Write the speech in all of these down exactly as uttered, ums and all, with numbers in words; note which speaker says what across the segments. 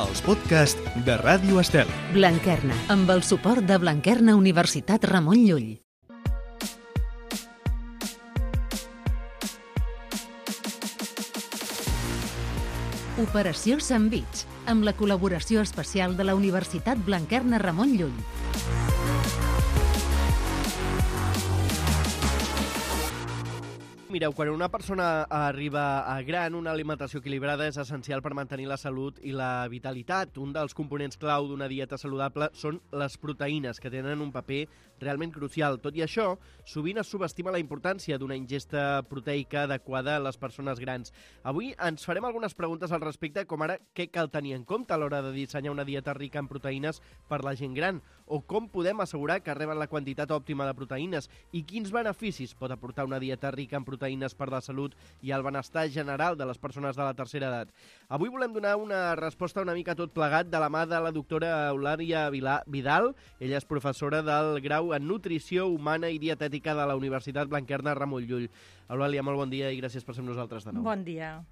Speaker 1: els podcasts de Ràdio Estel.
Speaker 2: Blanquerna, amb el suport de Blanquerna Universitat Ramon Llull. Operació Sandvich, amb la col·laboració especial de la Universitat Blanquerna Ramon Llull.
Speaker 3: Mireu, quan una persona arriba a gran, una alimentació equilibrada és essencial per mantenir la salut i la vitalitat. Un dels components clau d'una dieta saludable són les proteïnes, que tenen un paper realment crucial. Tot i això, sovint es subestima la importància d'una ingesta proteica adequada a les persones grans. Avui ens farem algunes preguntes al respecte, com ara què cal tenir en compte a l'hora de dissenyar una dieta rica en proteïnes per la gent gran, o com podem assegurar que reben la quantitat òptima de proteïnes i quins beneficis pot aportar una dieta rica en proteïnes per la salut i el benestar general de les persones de la tercera edat. Avui volem donar una resposta una mica tot plegat de la mà de la doctora Eulàlia Vidal. Ella és professora del grau en Nutrició Humana i Dietètica de la Universitat Blanquerna Ramon Llull. Eulàlia, molt bon dia i gràcies per ser amb nosaltres de nou.
Speaker 4: Bon dia.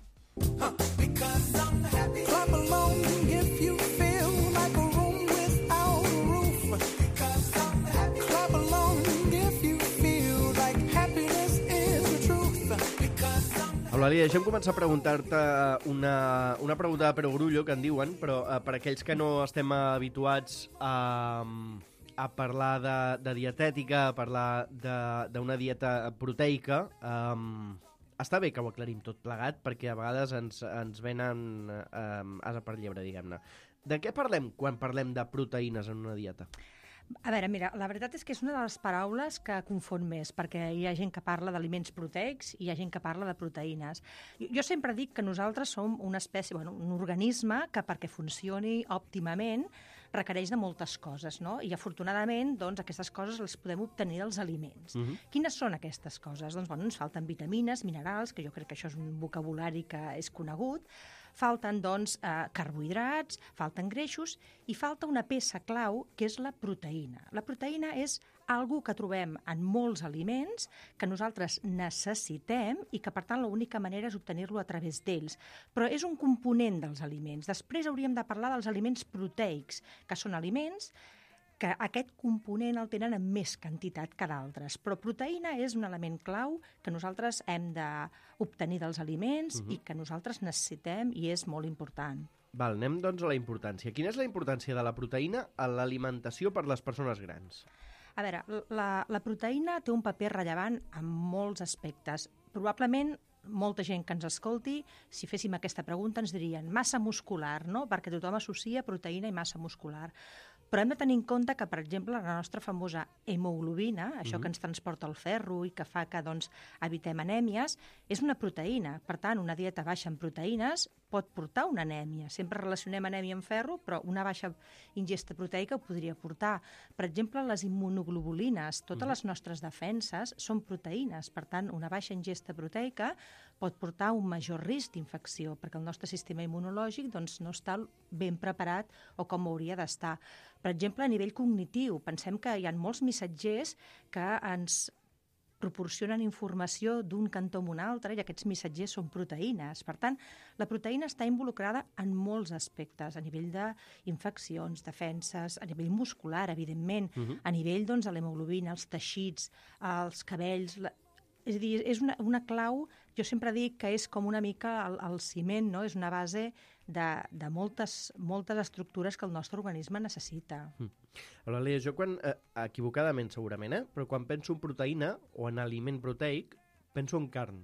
Speaker 3: Eulàlia, deixem començar a preguntar-te una, una pregunta de perogrullo, que en diuen, però eh, per aquells que no estem habituats a, a parlar de, de dietètica, a parlar d'una dieta proteica, eh, està bé que ho aclarim tot plegat, perquè a vegades ens, ens venen eh, asa per llebre, diguem-ne. De què parlem quan parlem de proteïnes en una dieta?
Speaker 4: A veure, mira, la veritat és que és una de les paraules que confon més, perquè hi ha gent que parla d'aliments proteics i hi ha gent que parla de proteïnes. Jo, jo sempre dic que nosaltres som una espècie, bueno, un organisme que perquè funcioni òptimament requereix de moltes coses, no? I afortunadament, doncs, aquestes coses les podem obtenir dels aliments. Uh-huh. Quines són aquestes coses? Doncs, bueno, ens falten vitamines, minerals, que jo crec que això és un vocabulari que és conegut, falten, doncs, eh, carbohidrats, falten greixos i falta una peça clau, que és la proteïna. La proteïna és algo que trobem en molts aliments, que nosaltres necessitem i que, per tant, l'única manera és obtenir-lo a través d'ells. Però és un component dels aliments. Després hauríem de parlar dels aliments proteics, que són aliments que aquest component el tenen en més quantitat que d'altres. Però proteïna és un element clau que nosaltres hem d'obtenir dels aliments uh-huh. i que nosaltres necessitem i és molt important.
Speaker 3: Val, anem doncs a la importància. Quina és la importància de la proteïna a l'alimentació per les persones grans?
Speaker 4: A veure, la, la proteïna té un paper rellevant en molts aspectes. Probablement molta gent que ens escolti, si féssim aquesta pregunta, ens dirien massa muscular, no? Perquè tothom associa proteïna i massa muscular. Però hem de tenir en compte que, per exemple, la nostra famosa hemoglobina, això mm-hmm. que ens transporta el ferro i que fa que doncs, evitem anèmies, és una proteïna. Per tant, una dieta baixa en proteïnes pot portar una anèmia. Sempre relacionem anèmia amb ferro, però una baixa ingesta proteica ho podria portar. Per exemple, les immunoglobulines, totes mm-hmm. les nostres defenses són proteïnes. Per tant, una baixa ingesta proteica pot portar un major risc d'infecció, perquè el nostre sistema immunològic doncs, no està ben preparat o com hauria d'estar. Per exemple, a nivell cognitiu, pensem que hi ha molts missatgers que ens proporcionen informació d'un cantó a un altre i aquests missatgers són proteïnes. Per tant, la proteïna està involucrada en molts aspectes, a nivell d'infeccions, defenses, a nivell muscular, evidentment, uh-huh. a nivell doncs, de l'hemoglobina, els teixits, els cabells. La... És a dir, és una, una clau, jo sempre dic que és com una mica el, el ciment, no? És una base de, de moltes, moltes estructures que el nostre organisme necessita.
Speaker 3: Mm. Eulàlia, jo quan, eh, equivocadament segurament, eh, però quan penso en proteïna o en aliment proteic, penso en carn.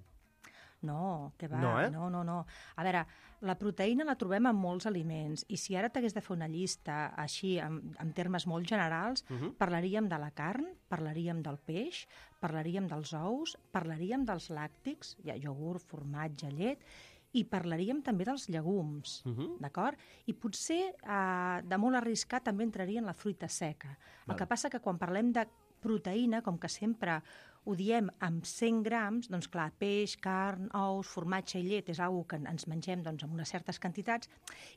Speaker 4: No, que va,
Speaker 3: no, eh?
Speaker 4: no, no, no. A veure, la proteïna la trobem en molts aliments i si ara t'hagués de fer una llista així, en, en termes molt generals, uh-huh. parlaríem de la carn, parlaríem del peix, parlaríem dels ous, parlaríem dels làctics, hi ha iogurt, formatge, llet, i parlaríem també dels llegums, uh-huh. d'acord? I potser, eh, de molt arriscat, també entraria en la fruita seca. Val. El que passa que quan parlem de proteïna, com que sempre ho diem amb cent grams, doncs clar, peix, carn, ous, formatge i llet és una cosa que ens mengem doncs, amb unes certes quantitats,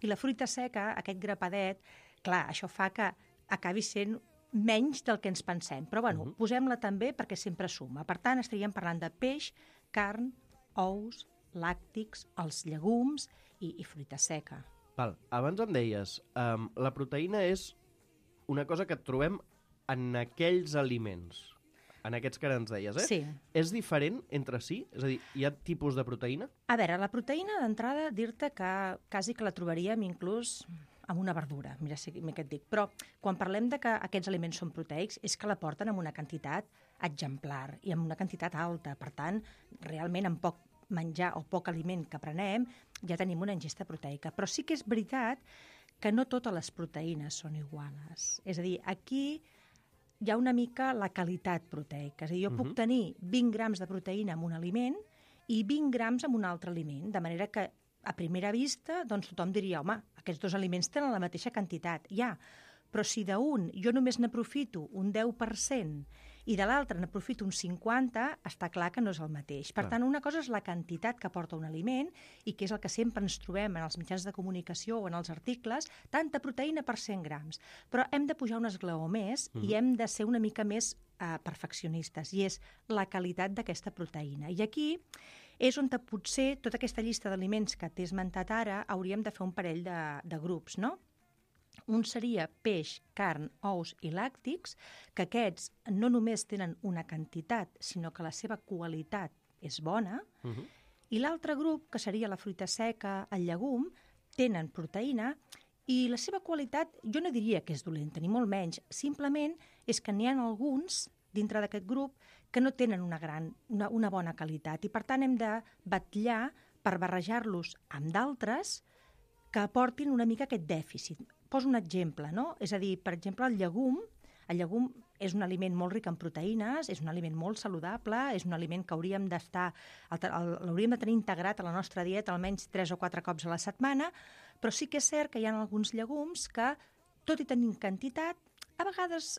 Speaker 4: i la fruita seca, aquest grapadet, clar, això fa que acabi sent menys del que ens pensem. Però bueno, uh-huh. posem-la també perquè sempre suma. Per tant, estaríem parlant de peix, carn, ous, làctics, els llegums i, i fruita seca.
Speaker 3: Val. Abans em deies, um, la proteïna és una cosa que trobem en aquells aliments, en aquests que ara ens deies, eh?
Speaker 4: Sí.
Speaker 3: És diferent entre si? És a dir, hi ha tipus de proteïna?
Speaker 4: A veure, la proteïna, d'entrada, dir-te que quasi que la trobaríem inclús amb una verdura, mira si què et dic. Però quan parlem de que aquests aliments són proteics és que la porten amb una quantitat exemplar i amb una quantitat alta. Per tant, realment amb poc menjar o poc aliment que prenem ja tenim una ingesta proteica. Però sí que és veritat que no totes les proteïnes són iguales. És a dir, aquí hi ha una mica la qualitat proteica. És a dir, jo uh-huh. puc tenir vint grams de proteïna en un aliment i vint grams en un altre aliment, de manera que a primera vista doncs, tothom diria, home, aquests dos aliments tenen la mateixa quantitat. Ja, però si d'un jo només n'aprofito un deu per cent i de l'altre n'aprofito un cinquanta per cent, està clar que no és el mateix. Per
Speaker 3: Clar.
Speaker 4: tant, una cosa és la quantitat que porta un aliment i que és el que sempre ens trobem en els mitjans de comunicació o en els articles, tanta proteïna per cent grams. Però hem de pujar un esglaó més mm. i hem de ser una mica més eh, perfeccionistes, i és la qualitat d'aquesta proteïna. I aquí és on potser tota aquesta llista d'aliments que t'he esmentat ara hauríem de fer un parell de, de grups, no? Un seria peix, carn, ous i làctics, que aquests no només tenen una quantitat, sinó que la seva qualitat és bona, uh-huh. i l'altre grup, que seria la fruita seca, el llegum, tenen proteïna i la seva qualitat jo no diria que és dolenta, ni molt menys, simplement és que n'hi ha alguns dintre d'aquest grup que no tenen una, gran, una, una bona qualitat i per tant hem de batllar per barrejar-los amb d'altres que aportin una mica aquest dèficit. Poso un exemple, no? És a dir, per exemple, el llegum, el llegum és un aliment molt ric en proteïnes, és un aliment molt saludable, és un aliment que hauríem d'estar, l'hauríem de tenir integrat a la nostra dieta almenys tres o quatre cops a la setmana, però sí que és cert que hi ha alguns llegums que, tot i tenint quantitat, a vegades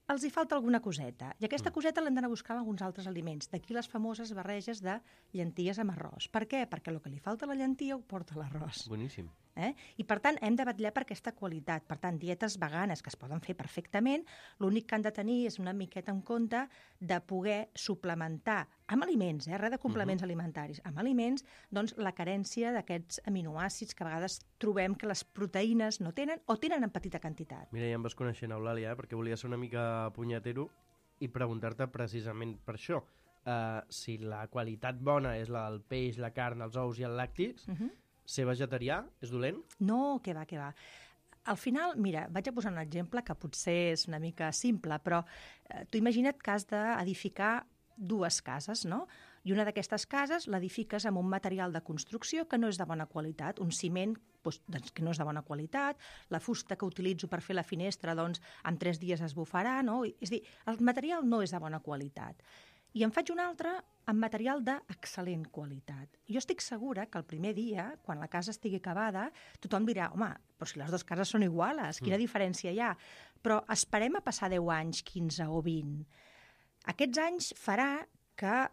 Speaker 4: els hi falta alguna coseta. I aquesta coseta l'hem d'anar a buscar en alguns altres aliments. D'aquí les famoses barreges de llenties amb arròs. Per què? Perquè el que li falta a la llentia ho porta l'arròs.
Speaker 3: Boníssim.
Speaker 4: Eh? I, per tant, hem de batllar per aquesta qualitat. Per tant, dietes veganes que es poden fer perfectament, l'únic que han de tenir és una miqueta en compte de poder suplementar amb aliments, eh? Res de complements uh-huh. alimentaris, amb aliments, doncs, la carència d'aquests aminoàcids que a vegades trobem que les proteïnes no tenen o tenen en petita quantitat.
Speaker 3: Mira, ja em vas coneixent, Eulàlia, eh? Perquè volia ser una mica punyetero i preguntar-te precisament per això. Uh, si la qualitat bona és la del peix, la carn, els ous i els làctics, uh-huh. ser vegetarià és dolent?
Speaker 4: No, que va, que va. Al final, mira, vaig a posar un exemple que potser és una mica simple, però eh, tu imagina't que has d'edificar dues cases, no? I una d'aquestes cases l'edifiques amb un material de construcció que no és de bona qualitat, un ciment doncs, doncs, que no és de bona qualitat, la fusta que utilitzo per fer la finestra, doncs, en tres dies es bufarà, no? És a dir, el material no és de bona qualitat. I en faig un altre amb material d'excel·lent qualitat. Jo estic segura que el primer dia, quan la casa estigui acabada, tothom dirà, home, però si les dues cases són iguales, quina mm. diferència hi ha? Però esperem a passar deu anys, quinze o vint. Aquests anys farà que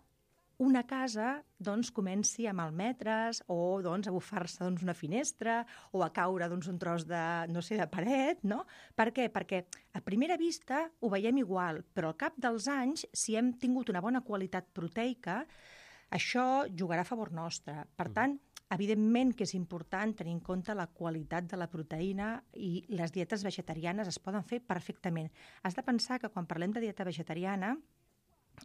Speaker 4: una casa doncs, comenci a malmetre's o doncs, a bufar-se doncs, una finestra o a caure doncs, un tros de, no sé, de paret, no? Per què? Perquè a primera vista ho veiem igual, però al cap dels anys, si hem tingut una bona qualitat proteica, això jugarà a favor nostre. Per tant, evidentment que és important tenir en compte la qualitat de la proteïna i les dietes vegetarianes es poden fer perfectament. Has de pensar que quan parlem de dieta vegetariana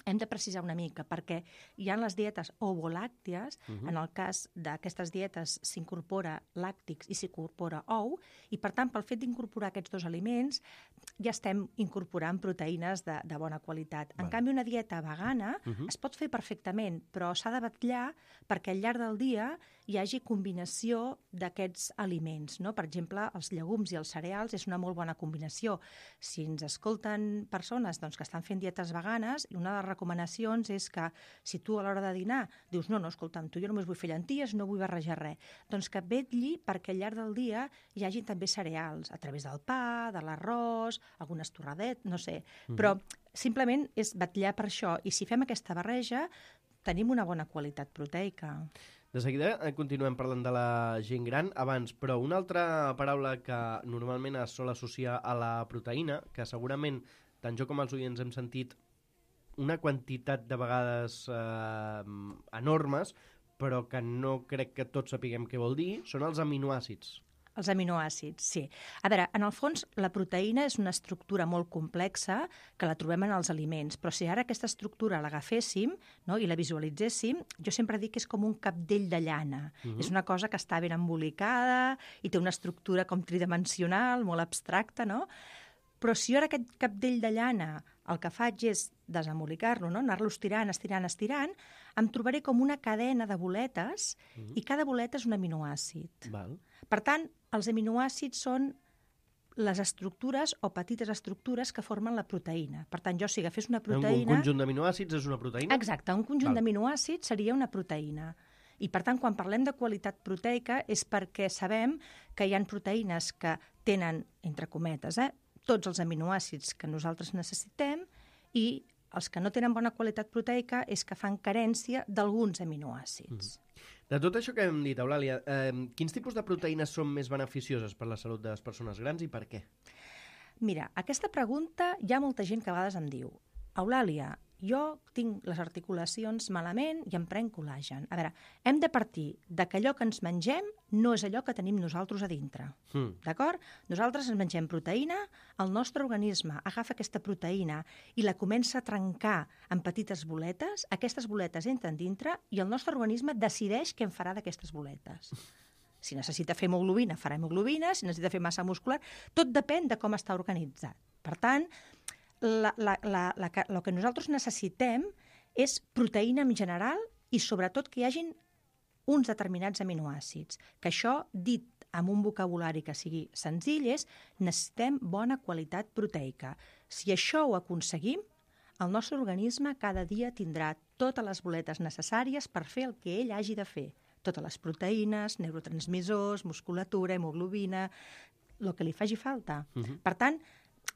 Speaker 4: hem de precisar una mica, perquè hi ha les dietes ovolàcties, uh-huh. en el cas d'aquestes dietes s'incorpora làctics i s'incorpora ou, i per tant, pel fet d'incorporar aquests dos aliments, ja estem incorporant proteïnes de, de bona qualitat. En
Speaker 3: vale.
Speaker 4: canvi, una dieta vegana uh-huh. es pot fer perfectament, però s'ha de batllar perquè al llarg del dia hi hagi combinació d'aquests aliments, no? Per exemple, els llegums i els cereals és una molt bona combinació. Si ens escolten persones doncs, que estan fent dietes veganes, i una de les recomanacions és que si tu a l'hora de dinar dius no, no, escolta'm, tu jo només vull fer llenties, no vull barrejar res, doncs que vetlli perquè al llarg del dia hi hagi també cereals, a través del pa, de l'arròs, algunes torradet, no sé, mm-hmm. però simplement és batllar per això, i si fem aquesta barreja tenim una bona qualitat proteica.
Speaker 3: De seguida continuem parlant de la gent gran abans, però una altra paraula que normalment es sol associar a la proteïna, que segurament tant jo com els oients hem sentit una quantitat de vegades eh, enormes, però que no crec que tots sapiguem què vol dir, són els aminoàcids.
Speaker 4: Els aminoàcids, sí. A veure, en el fons, la proteïna és una estructura molt complexa que la trobem en els aliments, però si ara aquesta estructura l'agaféssim, no, i la visualitzéssim, jo sempre dic que és com un capdell de llana. Uh-huh. És una cosa que està ben embolicada i té una estructura com tridimensional, molt abstracta, no? Però si jo ara aquest capdell de llana el que faig és desembolicar-lo, no? Anar-lo estirant, estirant, estirant, em trobaré com una cadena de boletes mm. i cada boleta és un aminoàcid.
Speaker 3: Val.
Speaker 4: Per tant, els aminoàcids són les estructures o petites estructures que formen la proteïna. Per tant, jo si agafés una proteïna...
Speaker 3: Un conjunt d'aminoàcids és una proteïna?
Speaker 4: Exacte, un conjunt Val. d'aminoàcids seria una proteïna. I, per tant, quan parlem de qualitat proteica és perquè sabem que hi ha proteïnes que tenen, entre cometes, eh, tots els aminoàcids que nosaltres necessitem i els que no tenen bona qualitat proteica és que fan carència d'alguns aminoàcids.
Speaker 3: Mm. De tot això que hem dit, Eulàlia, eh, quins tipus de proteïnes són més beneficioses per la salut de les persones grans i per què?
Speaker 4: Mira, aquesta pregunta hi ha molta gent que a vegades em diu Eulàlia, jo tinc les articulacions malament i em prenc col·làgen. A veure, hem de partir de que allò que ens mengem no és allò que tenim nosaltres a dintre. Mm. D'acord? Nosaltres ens mengem proteïna, el nostre organisme agafa aquesta proteïna i la comença a trencar en petites boletes, aquestes boletes entren dintre i el nostre organisme decideix què en farà d'aquestes boletes. Si necessita fer hemoglobina, farà hemoglobina, si necessita fer massa muscular, tot depèn de com està organitzat. Per tant, La, la, la, la, el que nosaltres necessitem és proteïna en general i sobretot que hi hagin uns determinats aminoàcids. Que això, dit amb un vocabulari que sigui senzill, és necessitem bona qualitat proteica. Si això ho aconseguim, el nostre organisme cada dia tindrà totes les boletes necessàries per fer el que ell hagi de fer. Totes les proteïnes, neurotransmissors, musculatura, hemoglobina, el que li faci falta. Uh-huh. Per tant,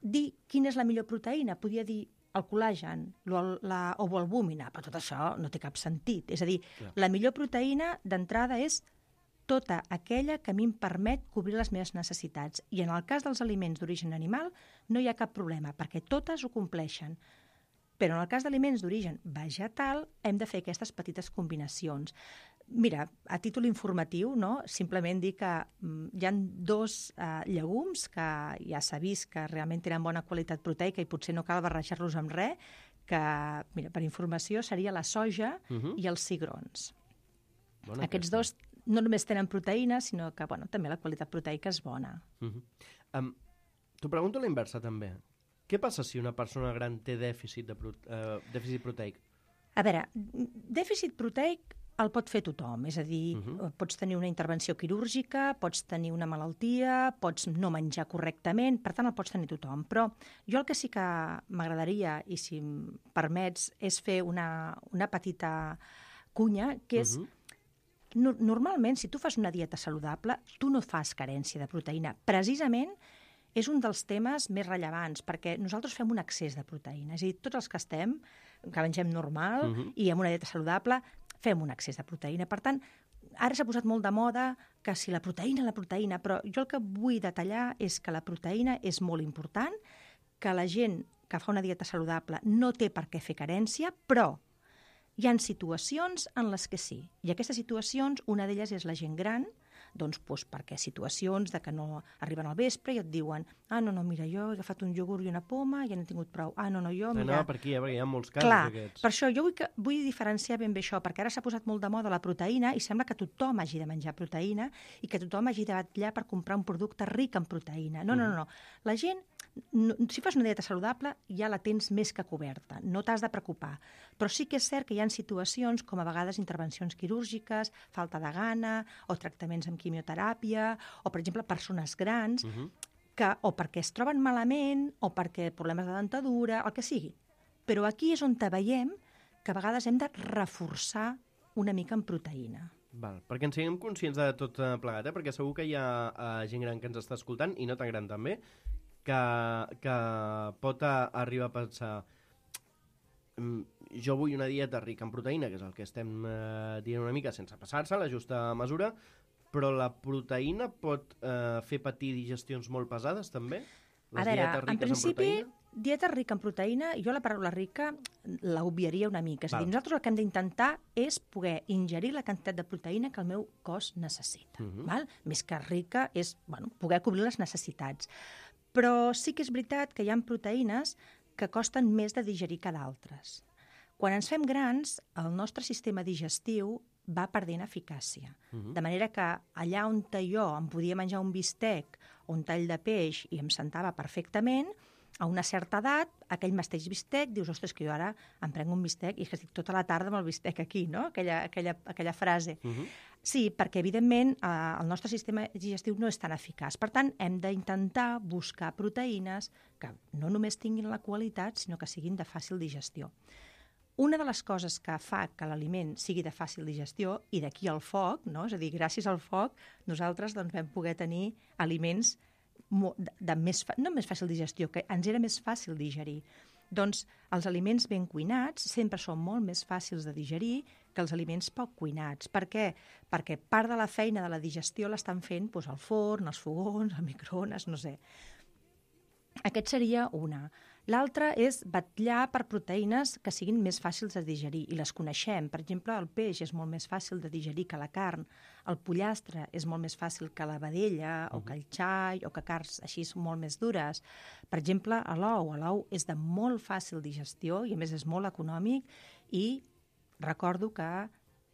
Speaker 4: dir quina és la millor proteïna, podia dir el col·làgen la ovoalbúmina, però tot això no té cap sentit. És a dir, yeah. la millor proteïna d'entrada és tota aquella que a mi em permet cobrir les meves necessitats. I en el cas dels aliments d'origen animal no hi ha cap problema, perquè totes ho compleixen. Però en el cas d'aliments d'origen vegetal hem de fer aquestes petites combinacions. Mira, a títol informatiu, no? Simplement dir que mm, hi ha dos eh, llegums que ja s'ha vist que realment tenen bona qualitat proteica i potser no cal barrejar-los amb res, que, mira, per informació, seria la soja uh-huh. i els cigrons. Bona Aquests aquesta. dos no només tenen proteïna, sinó que bueno, també la qualitat proteica és bona.
Speaker 3: Uh-huh. Um, T'ho pregunto a la inversa, també. Què passa si una persona gran té dèficit, de pro- uh, dèficit proteic?
Speaker 4: A veure, dèficit proteic el pot fer tothom, és a dir, uh-huh. pots tenir una intervenció quirúrgica, pots tenir una malaltia, pots no menjar correctament, per tant el pots tenir tothom. Però jo el que sí que m'agradaria, i si em permets, és fer una, una petita cunya, que és, uh-huh. no, normalment, si tu fas una dieta saludable, tu no fas carència de proteïna. Precisament és un dels temes més rellevants, perquè nosaltres fem un excés de proteïna. És a dir, tots els que estem, que mengem normal uh-huh. i amb una dieta saludable, fem un excés de proteïna. Per tant, ara s'ha posat molt de moda que si la proteïna, la proteïna, però jo el que vull detallar és que la proteïna és molt important, que la gent que fa una dieta saludable no té per què fer carència, però hi ha situacions en les que sí. I aquestes situacions, una d'elles és la gent gran, doncs, doncs perquè situacions de que no arriben al vespre i et diuen ah, no, no, mira, jo he agafat un iogurt i una poma i ja n'he tingut prou. Ah, no, no, jo, mira...
Speaker 3: No, per aquí, eh, perquè hi ha molts casos
Speaker 4: Clar,
Speaker 3: d'aquests.
Speaker 4: Per això jo vull, que, vull diferenciar ben bé això, perquè ara s'ha posat molt de moda la proteïna i sembla que tothom hagi de menjar proteïna i que tothom hagi de batallar per comprar un producte ric en proteïna. No, no, no, no. La gent, no, si fas una dieta saludable, ja la tens més que coberta, no t'has de preocupar. Però sí que és cert que hi ha situacions com a vegades intervencions quirúrgiques, falta de gana o tractaments amb quimioteràpia o, per exemple, persones grans uh-huh. que o perquè es troben malament o perquè problemes de dentadura, el que sigui. Però aquí és on veiem que a vegades hem de reforçar una mica en proteïna.
Speaker 3: Val, perquè ens siguem conscients de tot plegat, eh? Perquè segur que hi ha uh, gent gran que ens està escoltant, i no tan gran també, que, que pot a, arribar a pensar jo vull una dieta rica en proteïna, que és el que estem eh, dient una mica sense passar-se, la justa mesura, però la proteïna pot eh, fer patir digestions molt pesades, també? Les
Speaker 4: a veure, en principi, en, dieta rica en proteïna, jo la paraula rica l'obviaria una mica. És a dir, nosaltres el que hem d'intentar és poder ingerir la quantitat de proteïna que el meu cos necessita. Uh-huh. Val? Més que rica és bueno, poder cobrir les necessitats. Però sí que és veritat que hi ha proteïnes que costen més de digerir que d'altres. Quan ens fem grans, el nostre sistema digestiu va perdent eficàcia. Uh-huh. De manera que allà on jo em podia menjar un bistec o un tall de peix i em sentava perfectament, a una certa edat, aquell mateix bistec, dius, ostres, que jo ara em prenc un bistec i que estic tota la tarda amb el bistec aquí, no? Aquella, aquella, aquella frase. Uh-huh. Sí, perquè, evidentment, eh, el nostre sistema digestiu no és tan eficaç. Per tant, hem d'intentar buscar proteïnes que no només tinguin la qualitat, sinó que siguin de fàcil digestió. Una de les coses que fa que l'aliment sigui de fàcil digestió, i d'aquí el foc, no? És a dir, gràcies al foc, nosaltres doncs, vam poder tenir aliments de, de més, no més fàcil digestió, que ens era més fàcil digerir. Doncs els aliments ben cuinats sempre són molt més fàcils de digerir que els aliments poc cuinats. Per què? Perquè part de la feina de la digestió l'estan fent doncs, al forn, als fogons, al microones, no sé. Aquest seria una. L'altra és vetllar per proteïnes que siguin més fàcils de digerir, i les coneixem. Per exemple, el peix és molt més fàcil de digerir que la carn, el pollastre és molt més fàcil que la vedella, uh-huh. o que el xai, o que carns així molt més dures. Per exemple, l'ou. L'ou és de molt fàcil digestió i, a més, és molt econòmic, i recordo que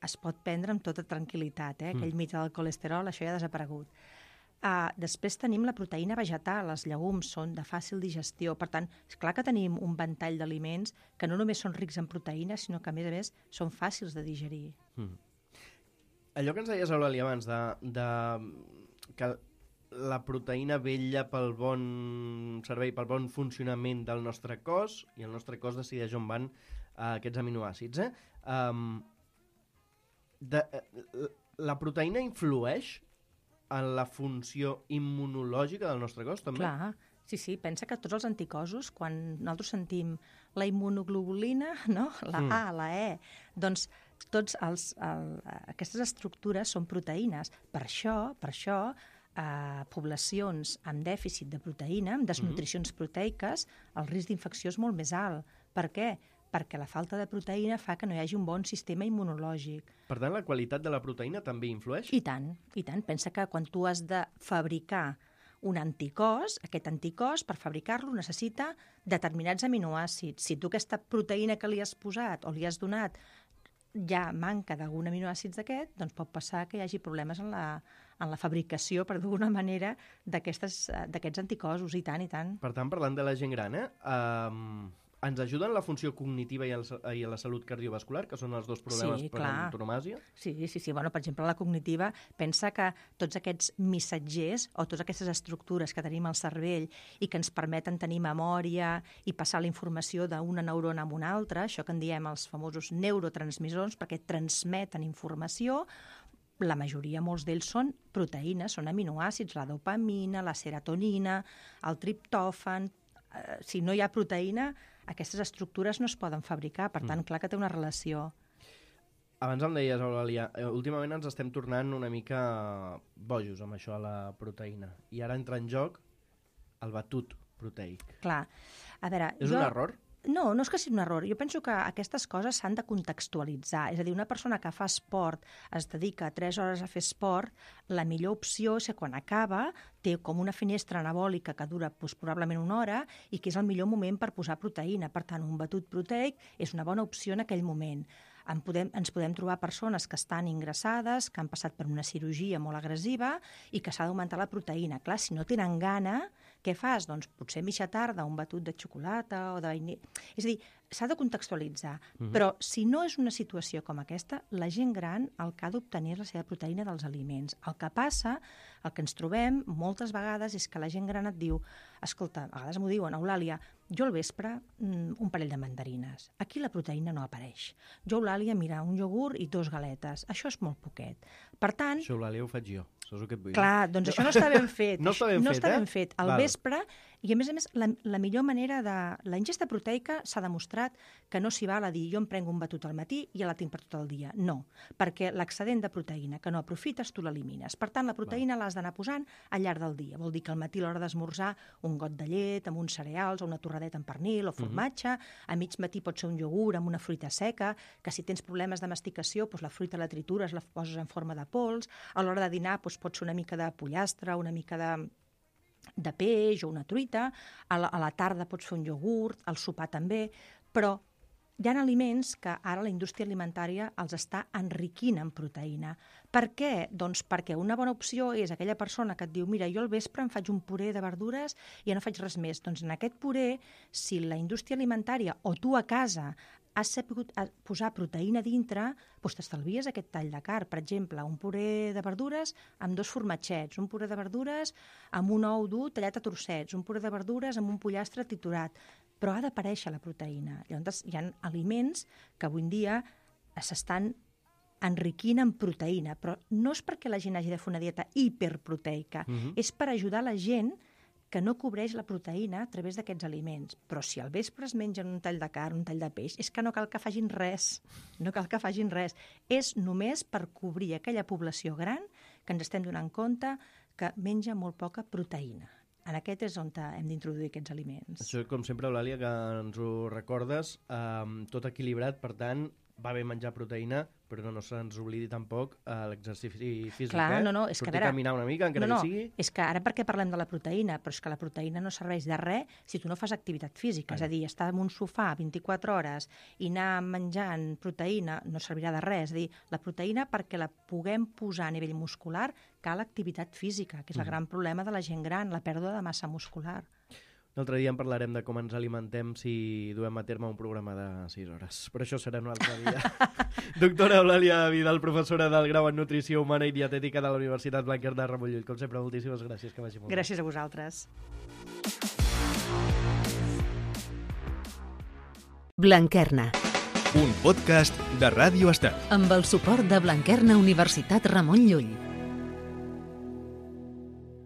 Speaker 4: es pot prendre amb tota tranquil·litat. Eh? Aquell mite del colesterol, això ja ha desaparegut. Uh, després tenim la proteïna vegetal, els llegums són de fàcil digestió, per tant, és clar que tenim un ventall d'aliments que no només són rics en proteïnes, sinó que a més a més són fàcils de digerir. Mm.
Speaker 3: Allò que ens deies, Eulàlia, abans, de, de que la proteïna vetlla pel bon servei, pel bon funcionament del nostre cos, i el nostre cos decideix on van uh, aquests aminoàcids. Eh? Um, de, uh, la proteïna influeix en la funció immunològica del nostre cos, també?
Speaker 4: Clar, sí, sí. Pensa que tots els anticossos, quan nosaltres sentim la immunoglobulina, no? La mm. A, la E, doncs tots els, el, aquestes estructures són proteïnes. Per això, per això, eh, poblacions amb dèficit de proteïna, amb desnutricions mm-hmm. proteiques, el risc d'infecció és molt més alt. Per què? Perquè la falta de proteïna fa que no hi hagi un bon sistema immunològic.
Speaker 3: Per tant, la qualitat de la proteïna també influeix?
Speaker 4: I tant, i tant. Pensa que quan tu has de fabricar un anticòs, aquest anticòs, per fabricar-lo, necessita determinats aminoàcids. Si tu aquesta proteïna que li has posat o li has donat ja manca d'algun aminoàcids d'aquest, doncs pot passar que hi hagi problemes en la, en la fabricació, per d'alguna manera, d'aquests anticossos, i tant, i tant.
Speaker 3: Per tant, parlant de la gent gran, eh? Um... ens ajuden la funció cognitiva i, el, i la salut cardiovascular, que són els dos problemes sí, per antonomàsia?
Speaker 4: Sí, sí, sí. Bueno, per exemple, la cognitiva pensa que tots aquests missatgers o totes aquestes estructures que tenim al cervell i que ens permeten tenir memòria i passar la informació d'una neurona a una altra, això que en diem els famosos neurotransmissors, perquè transmeten informació, la majoria, molts d'ells, són proteïnes, són aminoàcids, la dopamina, la serotonina, el triptòfan. Uh, si no hi ha proteïna, aquestes estructures no es poden fabricar, per tant, mm. clar que té una relació.
Speaker 3: Abans em deies, Eulàlia, últimament ens estem tornant una mica bojos amb això de la proteïna, i ara entra en joc el batut proteic.
Speaker 4: Clar. A veure,
Speaker 3: és
Speaker 4: jo...
Speaker 3: un error?
Speaker 4: No, no és que sigui un error. Jo penso que aquestes coses s'han de contextualitzar. És a dir, una persona que fa esport, es dedica tres hores a fer esport, la millor opció és que quan acaba té com una finestra anabòlica que dura doncs, probablement una hora i que és el millor moment per posar proteïna. Per tant, un batut proteic és una bona opció en aquell moment. En podem, ens podem trobar persones que estan ingressades, que han passat per una cirurgia molt agressiva i que s'ha d'augmentar la proteïna. Clar, si no tenen gana, què fas? Doncs potser mitja tarda un batut de xocolata o de vainilla. És a dir, s'ha de contextualitzar. Uh-huh. Però si no és una situació com aquesta, la gent gran el que ha d'obtenir és la seva proteïna dels aliments. El que passa, el que ens trobem moltes vegades és que la gent gran et diu, escolta, a vegades m'ho diuen, Eulàlia, jo al vespre mm, un parell de mandarines. Aquí la proteïna no apareix. Jo, Eulàlia, mira, un iogurt i dos galetes. Això és molt poquet. Per tant...
Speaker 3: Això, Eulàlia, ho faig jo. Això és el que et vull dir.
Speaker 4: Clar, doncs això no està ben fet.
Speaker 3: No està ben
Speaker 4: no
Speaker 3: fet,
Speaker 4: està
Speaker 3: eh?
Speaker 4: ben fet. Al
Speaker 3: Val.
Speaker 4: vespre I, a més a més, la, la millor manera de... La ingesta proteica s'ha demostrat que no s'hi val a dir jo em prenc un batut al matí i ja la tinc per tot el dia. No, perquè l'excedent de proteïna que no aprofites, tu l'elimines. Per tant, la proteïna l'has d'anar posant al llarg del dia. Vol dir que al matí, a l'hora d'esmorzar, un got de llet amb uns cereals o una torradeta amb pernil o formatge. Uh-huh. A mig matí pot ser un iogurt amb una fruita seca, que si tens problemes de masticació, doncs la fruita la tritures, la poses en forma de pols. A l'hora de dinar doncs pot ser una mica de pollastre, una mica de... de peix o una truita, a la, a la tarda pots fer un iogurt, al sopar també, però hi ha aliments que ara la indústria alimentària els està enriquint en proteïna. Per què? Doncs perquè una bona opció és aquella persona que et diu mira, jo al vespre em faig un puré de verdures i ja no faig res més. Doncs en aquest puré, si la indústria alimentària o tu a casa has sabut posar proteïna dintre, doncs t'estalvies aquest tall de carn. Per exemple, un puré de verdures amb dos formatgets, un puré de verdures amb un ou dur tallat a trossets, un puré de verdures amb un pollastre triturat. Però ha d'aparèixer la proteïna. Llavors, hi ha aliments que avui en dia s'estan enriquint en proteïna, però no és perquè la gent hagi de fer una dieta hiperproteica, uh-huh. és per ajudar la gent que no cobreix la proteïna a través d'aquests aliments. Però si al vespre es mengen un tall de carn, un tall de peix, és que no cal que facin res. No cal que facin res. És només per cobrir aquella població gran que ens estem donant compte que menja molt poca proteïna. En aquest és on hem d'introduir aquests aliments.
Speaker 3: Això, com sempre, Eulàlia, que ens ho recordes, eh, tot equilibrat, per tant, va bé menjar proteïna, però no, no se'ns oblidi tampoc eh, l'exercici físic.
Speaker 4: Clar,
Speaker 3: eh?
Speaker 4: no, no, és
Speaker 3: Sortir
Speaker 4: que a veure...
Speaker 3: a caminar una mica, encara
Speaker 4: no, no,
Speaker 3: que sigui...
Speaker 4: és que ara perquè parlem de la proteïna, però és que la proteïna no serveix de res si tu no fas activitat física. Ai. És a dir, estar en un sofà vint-i-quatre hores i anar menjant proteïna no servirà de res. És a dir, la proteïna, perquè la puguem posar a nivell muscular, cal activitat física, que és el mm. gran problema de la gent gran, la pèrdua de massa muscular.
Speaker 3: Un altre dia en parlarem de com ens alimentem si duem a terme un programa de sis hores. Però això serà un altre dia. Doctora Eulàlia Vidal, professora del grau en Nutrició Humana i Dietètica de la Universitat Blanquerna Ramon Llull. Com sempre, moltíssimes gràcies. Que vagi molt bé.
Speaker 4: Gràcies a vosaltres.
Speaker 2: Blanquerna.
Speaker 1: Un podcast de Ràdio Estel.
Speaker 2: Amb el suport de Blanquerna Universitat Ramon Llull.